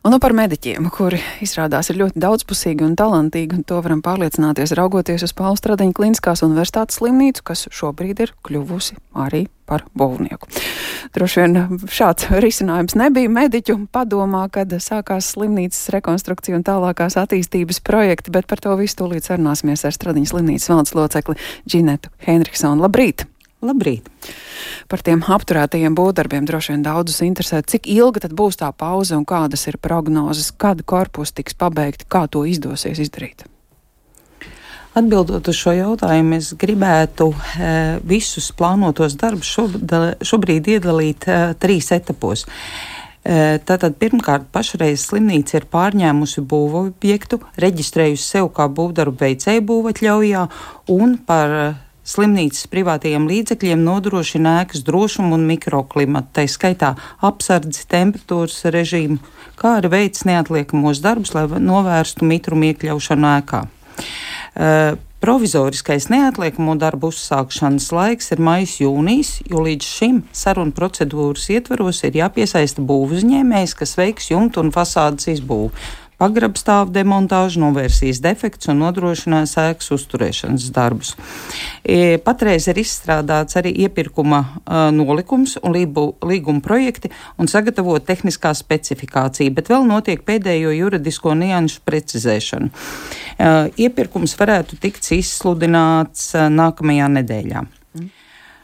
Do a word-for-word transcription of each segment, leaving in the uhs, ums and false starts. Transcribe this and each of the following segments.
Un nu par mediķiem, kuri izrādās ir ļoti daudzpusīgi un talantīgi, un to varam pārliecināties raugoties uz Paula Stradiņa Kliniskās universitātes slimnīcu, kas šobrīd ir kļuvusi arī par būvnieku. Droši vien šāds risinājums nebija mediķu padomā, kad sākās slimnīcas rekonstrukcija un tālākās attīstības projekti, bet par to visu tūlīt sarunāsimies ar Stradiņa slimnīcas valdes locekli Džinetu Henriksonu. Labrīt! Labrīt! Par tiem apturētajiem būvdarbiem droši vien daudzus interesē. Cik ilga tad būs tā pauze un kādas ir prognozes, kad korpusi tiks pabeigti, kā to izdosies izdarīt? Atbildot uz šo jautājumu, es gribētu e, visus plānotos darbus šobrīd, šobrīd iedalīt e, trīs etapos. E, tātad pirmkārt pašreiz slimnīca ir pārņēmusi būvobjektu, reģistrējusi sev kā būvdarbu veicēju būvatļaujā un par slimnīcas privātajiem līdzekļiem nodrošina ēkas drošumu un mikroklimatu, tai skaitā apsardzi, temperatūras režīmu, kā arī veic neatliekamos darbus, lai novērstu mitrumu iekļaušanu ēkā. Uh, provizoriskais neatliekamo darbu uzsākšanas laiks ir maijs jūnijas, jo līdz šim sarunu procedūras ietvaros ir jāpiesaista būvuzņēmējs, kas veiks jumtu un fasādes izbūvi, pagrabstāvu demontāžu, novērsīs defekts un nodrošinās ēkas uzturēšanas darbus. E, patreiz ir izstrādāts arī iepirkuma uh, nolikums un lību, līguma projekti un sagatavot tehniskā specifikācija, bet vēl notiek pēdējo juridisko nianšu precizēšana. Uh, iepirkums varētu tikt izsludināts uh, nākamajā nedēļā.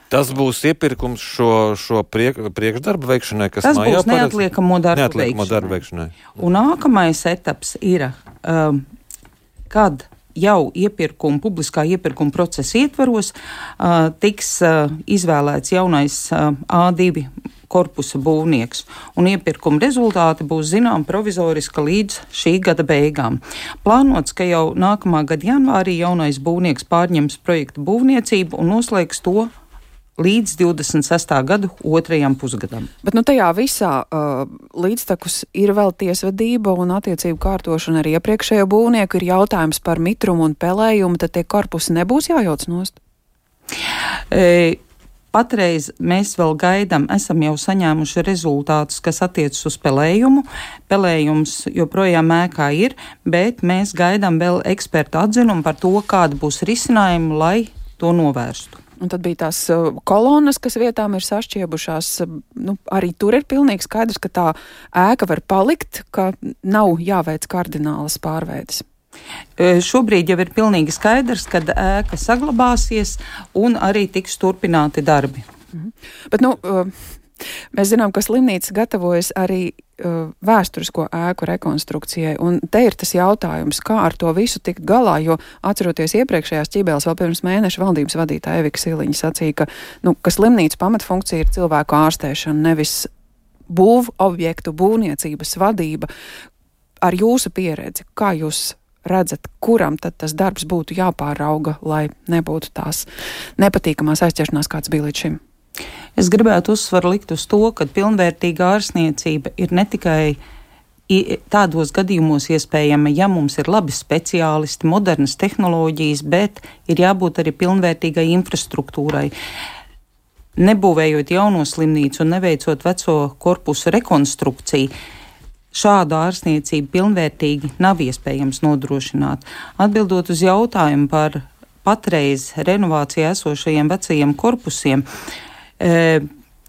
Tas būs iepirkums šo, šo priek, priekšdarbu veikšanai, kas Tas mājā būs neatliekamo darbu, neatliekamo veikšanai. darbu veikšanai. Un nākamais etaps ir, um, kad jau iepirkuma, publiskā iepirkuma procesa ietvaros uh, tiks uh, izvēlēts jaunais uh, A divi korpusa būvnieks, un iepirkuma rezultāti būs zinām provizoriski līdz šī gada beigām. Plānots, ka jau nākamā gada janvārī jaunais būvnieks pārņems projektu būvniecību un noslēgs to līdz divdesmit sestā gada otrajam pusgadam. Bet nu tajā visā uh, līdztekus ir vēl tiesvedība un attiecību kārtošana ar iepriekšējo būvnieku, ir jautājums par mitrumu un pelējumu, tad tie korpusi nebūs jājauc nost? E, patreiz mēs vēl gaidām, esam jau saņēmuši rezultātus, kas attiecas uz pelējumu. Pelējums joprojām ēkā ir, bet mēs gaidām vēl ekspertu atzinumu par to, kāda būs risinājuma, lai to novērstu. Un tad bija tās uh, kolonas, kas vietām ir sašķiebušās. Uh, nu, arī tur ir pilnīgi skaidrs, ka tā ēka var palikt, ka nav jāveic kardinālas pārveides. E, šobrīd jau ir pilnīgi skaidrs, ka ēka saglabāsies un arī tiks turpināti darbi. Mhm. Bet, nu, uh, mēs zinām, ka slimnīca gatavojas arī uh, vēsturisko ēku rekonstrukcijai, un te ir tas jautājums, kā ar to visu tikt galā, jo atceroties iepriekšējās ķibeles vēl pirms mēneša valdības vadītāja Evika Siliņa sacīja, ka, nu, ka slimnīca pamatfunkcija ir cilvēku ārstēšana, nevis būv objektu, būvniecības vadība. Ar jūsu pieredzi, kā jūs redzat, kuram tad tas darbs būtu jāpārauga, lai nebūtu tās nepatīkamās aizķeršanās, kāds bija līdz šim? Es gribētu uzsvaru likt uz to, ka pilnvērtīga ārstniecība ir ne tikai tādos gadījumos iespējama, ja mums ir labi speciālisti, modernas tehnoloģijas, bet ir jābūt arī pilnvērtīgai infrastruktūrai. Nebūvējot jauno slimnīcu un neveicot veco korpusu rekonstrukciju, šādu ārstniecību pilnvērtīgi nav iespējams nodrošināt. Atbildot uz jautājumu par patreiz renovācijā esošajiem vecajiem korpusiem, E,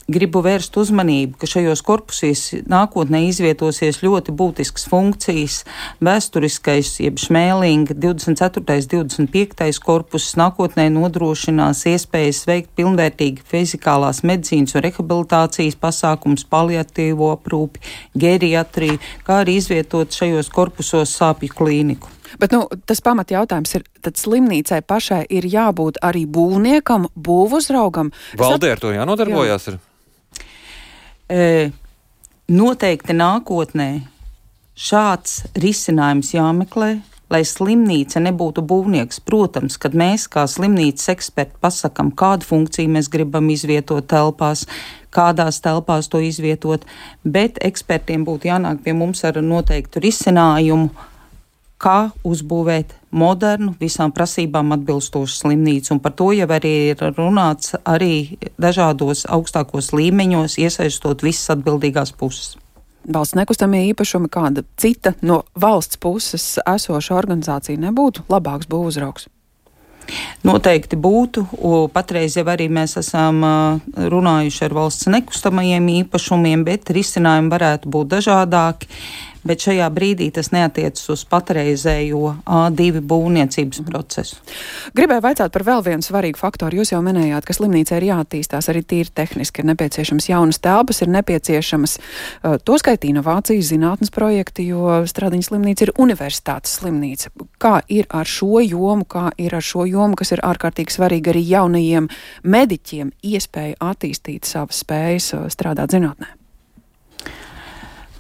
gribu vērst uzmanību, ka šajos korpusīs nākotnē izvietosies ļoti būtiskas funkcijas. Vēsturiskais, jeb šmēlinga divdesmit ceturtais, divdesmit piektais korpuss nākotnē nodrošinās iespējas veikt pilnvērtīgi fizikālās medicīnas un rehabilitācijas pasākums, paliatīvo aprūpi, geriatriju, kā arī izvietot šajos korpusos sāpju klīniku. Bet, nu, tas pamat jautājums ir, tad slimnīcai pašai ir jābūt arī būvniekam, būvuzraugam. Valdē ar to jānodarbojās? Jā. Ir? E, noteikti nākotnē šāds risinājums jāmeklē, lai slimnīca nebūtu būvnieks. Protams, kad mēs kā slimnīcas eksperti pasakam, kādu funkciju mēs gribam izvietot telpās, kādās telpās to izvietot, bet ekspertiem būtu jānāk pie mums ar noteiktu risinājumu, kā uzbūvēt modernu, visām prasībām atbilstošu slimnīcu. Un par to jau arī ir runāts arī dažādos augstākos līmeņos, iesaistot visas atbildīgās puses. valsts nekustamie īpašumi, kāda cita no valsts puses esoša organizācija nebūtu labāks būvuzraugs? Noteikti būtu. Patreiz jau arī mēs esam runājuši ar valsts nekustamajiem īpašumiem, bet risinājumi varētu būt dažādāki. Bet šajā brīdī tas neatiecas uz patreizējo A divi būvniecības procesu. Gribēju vaicāt par vēl vienu svarīgu faktoru. Jūs jau minējāt, ka slimnīca ir jāattīstās arī tīri tehniski. Ir nepieciešams jaunas telpas, ir nepieciešamas uh, to skait inovācijas, zinātnes projekti, jo Stradiņas slimnīca ir universitātes slimnīca. Kā ir ar šo jomu, kā ir ar šo jomu, kas ir ārkārtīgi svarīgi arī jaunajiem mediķiem, iespēja attīstīt savas spējas uh, strādāt zinātnē?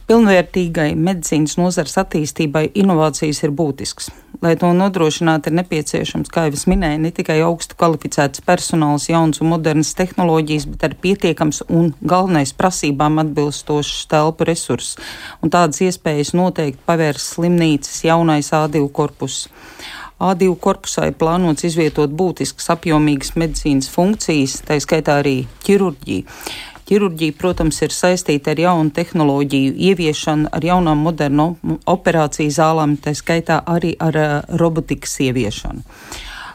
Pilnvērtīgai medicīnas nozares attīstībai inovācijas ir būtisks. Lai to nodrošinātu, ir nepieciešams, kā jau es minēju, ne tikai augstu kvalificēts personāls, jauns un modernas tehnoloģijas, bet arī pietiekams un galvenais prasībām atbilstošs telpu resurss. Un tādas iespējas noteikti pavērs slimnīcas jaunais A divi korpus. A divi korpusā ir plānots izvietot būtiskas apjomīgas medicīnas funkcijas, tā skaitā arī ķirurģiju. Ķirurģija, protams, ir saistīta ar jaunu tehnoloģiju ieviešanu, ar jaunām modernu operāciju zālēm, tā skaitā arī ar uh, robotikas ieviešanu.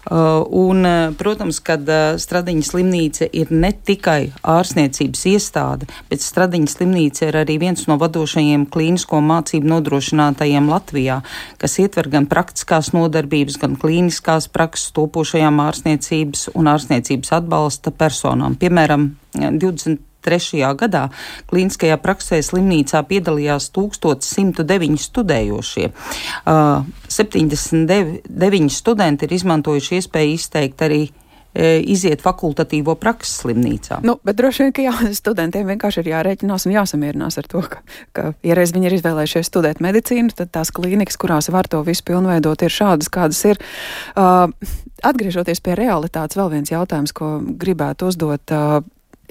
Uh, un, uh, protams, kad uh, Stradiņas slimnīca ir ne tikai ārstniecības iestāde, bet Stradiņas slimnīca ir arī viens no vadošajiem klīnisko mācību nodrošinātajiem Latvijā, kas ietver gan praktiskās nodarbības, gan klīniskās prakses topošajām ārstniecības un ārstniecības atbalsta personām. Piemēram, divdesmit trešajā gadā klīniskajā praksē slimnīcā piedalījās tūkstoš simt deviņi studējošie. Uh, septiņdesmit deviņi studenti ir izmantojuši iespēju izteikt arī e, iziet fakultatīvo praksi slimnīcā. Nu, bet droši vien, ka jā, studentiem vienkārši ir jārēķinās un jāsamierinās ar to, ka, ka ja reiz viņi ir izvēlējušies studēt medicīnu, tad tās klīnikas, kurās var to visu pilnveidot, ir šādas, kādas ir. Uh, atgriežoties pie realitātes, vēl viens jautājums, ko gribētu uzdot. Uh,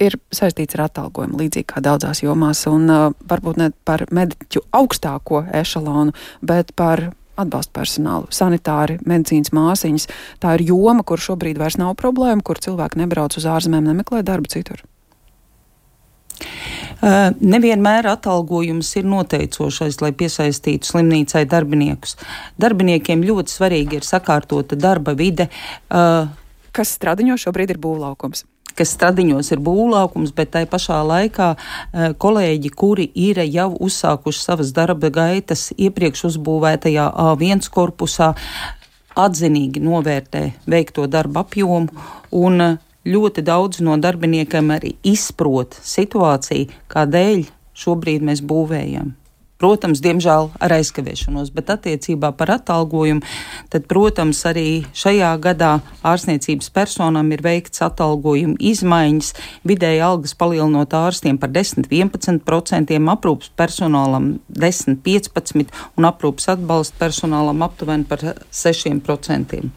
ir saistīts ar atalgojumu, līdzīgi kā daudzās jomās, un uh, varbūt ne par mediķu augstāko ešalonu, bet par atbalsta personālu, sanitāri, medicīnas māsiņas. Tā ir joma, kur šobrīd vairs nav problēma, kur cilvēki nebrauc uz ārzemēm, nemeklē darbu citur. Uh, nevienmēr atalgojums ir noteicošais, lai piesaistītu slimnīcai darbiniekus. Darbiniekiem ļoti svarīgi ir sakārtota darba vide. Uh, Kas Stradiņos šobrīd ir būvlaukums? kas Stradiņos ir būvlaukums, bet tai pašā laikā e, kolēģi, kuri ir jau uzsākuši savas darba gaitas iepriekš uzbūvētajā A viens korpusā, atzinīgi novērtē veikto darba apjomu un ļoti daudz no darbiniekiem arī izprot situāciju, kādēļ šobrīd mēs būvējam. Protams, diemžēl ar aizkavēšanos, bet attiecībā par atalgojumu, tad, protams, arī šajā gadā ārstniecības personām ir veikts atalgojuma izmaiņas, vidēji algas palielinot ārstiem par desmit līdz vienpadsmit procentiem, aprūpas personālam desmit līdz piecpadsmit un aprūpas atbalsta personālam aptuveni par sešiem procentiem.